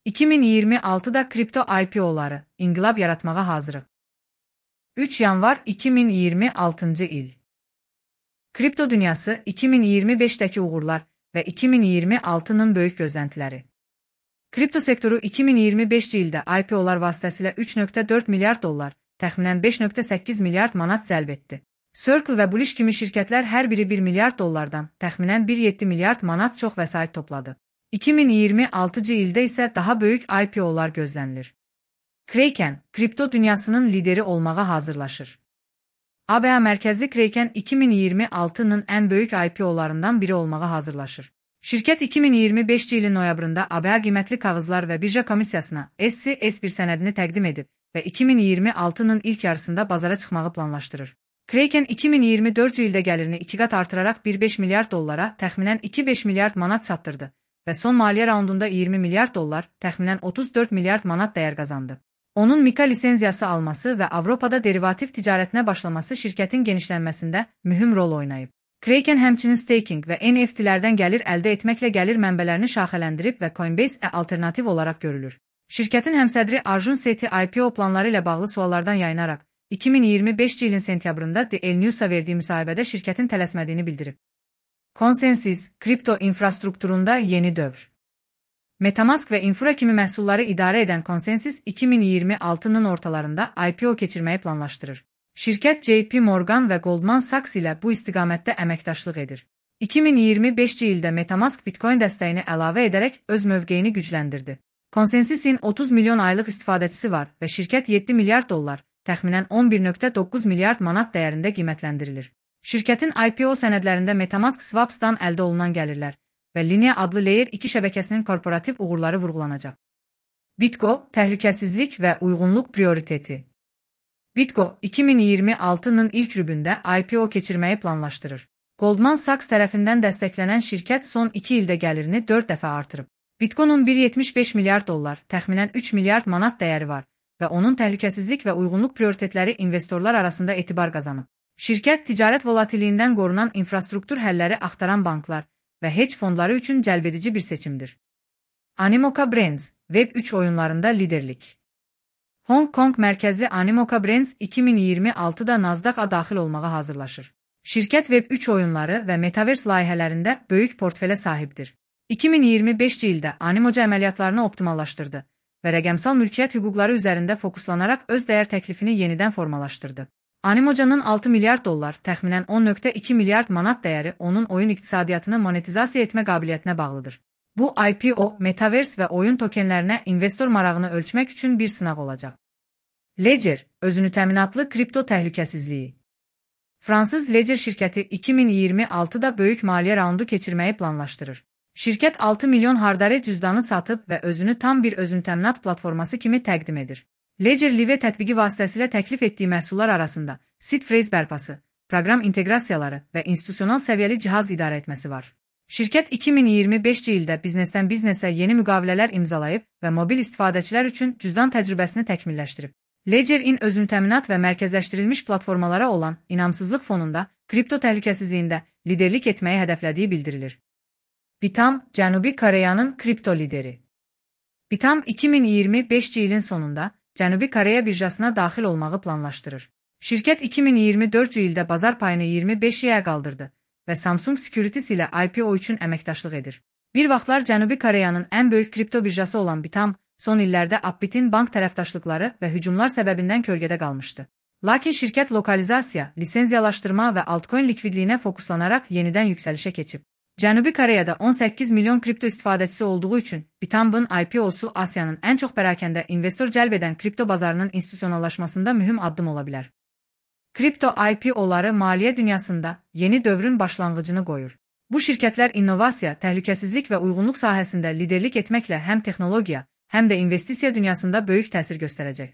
2026'da kripto IPO'ları inqilab yaratmağa hazırıq. 3 yanvar 2026 il. Kripto dünyası 2025'dəki uğurlar və 2026-nın böyük gözləntiləri. Kripto sektoru 2025-ci ildə IPO'lar vasitəsilə 3,4 milyard dollar, təxminən 5,8 milyard manat cəlb etdi. Circle və Bullish kimi şirkətlər hər biri 1 milyard dollardan, təxminən 1,7 milyard manat çox vəsait topladı. 2026-cı ildə isə daha böyük IPO'lar gözlənilir. Kraken, kripto dünyasının lideri olmağa hazırlaşır. ABA mərkəzli Kraken 2026-nın ən böyük IPO'larından biri olmağa hazırlaşır. Şirkət 2025-ci ilin noyabrında ABA qiymətli kağızlar və birja komissiyasına SC-S1 sənədini təqdim edib və 2026-nın ilk yarısında bazara çıxmağı planlaşdırır. Kraken 2024-cü ildə gəlirini 2 qat artıraraq 1,5 milyard dollara, təxminən 2,5 milyard manat çatdırdı və son maliyyə raundunda 20 milyard dollar, təxminən 34 milyard manat dəyər qazandı. Onun MiCA lisenziyası alması və Avropada derivativ ticarətinə başlaması şirkətin genişlənməsində mühüm rol oynayıb. Kraken həmçinin staking və NFT-lərdən gəlir əldə etməklə gəlir mənbələrini şaxələndirib və Coinbase alternativ olaraq görülür. Şirkətin həmsədri Arjun Sethi IPO planları ilə bağlı suallardan yayınaraq 2025-ci ilin sentyabrında The El News'a verdiyi müsahibədə şirkətin tələsmədiyini bildirib. ConsenSys, kripto infrastrukturunda yeni dövr. Metamask və Infura kimi məhsulları idarə edən ConsenSys 2026-nın ortalarında IPO keçirməyi planlaşdırır. Şirkət JP Morgan və Goldman Sachs ilə bu istiqamətdə əməkdaşlıq edir. 2025-ci ildə Metamask Bitcoin dəstəyini əlavə edərək öz mövqeyini gücləndirdi. ConsenSys'in 30 milyon aylıq istifadəçisi var və şirkət 7 milyard dollar, təxminən 11,9 milyard manat dəyərində qiymətləndirilir. Şirkətin IPO sənədlərində Metamask Swaps'dan əldə olunan gəlirlər və Linea adlı Layer 2 şəbəkəsinin korporativ uğurları vurğulanacaq. Bitgo, təhlükəsizlik və uyğunluq prioriteti. Bitgo, 2026-nın ilk rübündə IPO keçirməyi planlaşdırır. Goldman Sachs tərəfindən dəstəklənən şirkət son 2 ildə gəlirini 4 dəfə artırıb. Bitco'nun 1,75 milyard dollar, təxminən 3 milyard manat dəyəri var və onun təhlükəsizlik və uyğunluq prioritetləri investorlar arasında etibar qazanıb. Şirkət ticarət volatiliyindən qorunan infrastruktur həlləri axtaran banklar və hedge fondları üçün cəlbedici bir seçimdir. Animoca Brands, Web3 oyunlarında liderlik. Hong Kong mərkəzli Animoca Brands 2026-da Nasdaq-a daxil olmağa hazırlaşır. Şirkət Web3 oyunları və Metaverse layihələrində böyük portfelə sahibdir. 2025-ci ildə Animoca əməliyyatlarını optimallaşdırdı və rəqəmsal mülkiyyət hüquqları üzərində fokuslanaraq öz dəyər təklifini yenidən formalaşdırdı. Animoca'nın 6 milyard dollar, təxminən 10,2 milyard manat dəyəri onun oyun iqtisadiyyatını monetizasiya etmə qabiliyyətinə bağlıdır. Bu IPO, Metaverse və oyun tokenlərinə investor marağını ölçmək üçün bir sınaq olacaq. Ledger, özünü təminatlı kripto təhlükəsizliyi. Fransız Ledger şirkəti 2026-da böyük maliyyə raundu keçirməyi planlaşdırır. Şirkət 6 milyon hardare cüzdanı satıb və özünü tam bir özünü təminat platforması kimi təqdim edir. Ledger Live tətbiqi vasitəsilə təklif etdiyi məhsullar arasında seed phrase bərpası, proqram inteqrasiyaları və institusional səviyyəli cihaz idarə etməsi var. Şirkət 2025-ci ildə biznesdən biznesə yeni müqavilələr imzalayıb və mobil istifadəçilər üçün cüzdan təcrübəsini təkmilləşdirib. Ledger-in özünü təminat və mərkəzləşdirilmiş platformalara olan inamsızlıq fonunda kripto təhlükəsizliyində liderlik etməyi hədəflədiyi bildirilir. Bitam, Cənubi Koreyanın kripto lideri. Bitam 2025-ci ilin sonunda Cənubi Koreya birjasına daxil olmağı planlaşdırır. Şirkət 2024-cü ildə bazar payını 25%-yə qaldırdı və Samsung Securities ilə IPO üçün əməkdaşlıq edir. Bir vaxtlar Cənubi Koreyanın ən böyük kripto birjası olan Bitam, son illərdə Upbit'in bank tərəfdaşlıqları və hücumlar səbəbindən kölgədə qalmışdı. Lakin şirkət lokalizasiya, lisenziyalaşdırma və altcoin likvidliyinə fokuslanaraq yenidən yüksəlişə keçib. Cənubi Koreyada 18 milyon kripto istifadəçisi olduğu üçün Bitam'ın IPO-su Asiyanın ən çox pərakəndə investor cəlb edən kripto bazarının institusionallaşmasında mühüm addım ola bilər. Kripto IPO-ları maliyyə dünyasında yeni dövrün başlanğıcını qoyur. Bu şirkətlər innovasiya, təhlükəsizlik və uyğunluq sahəsində liderlik etməklə həm texnologiya, həm də investisiya dünyasında böyük təsir göstərəcək.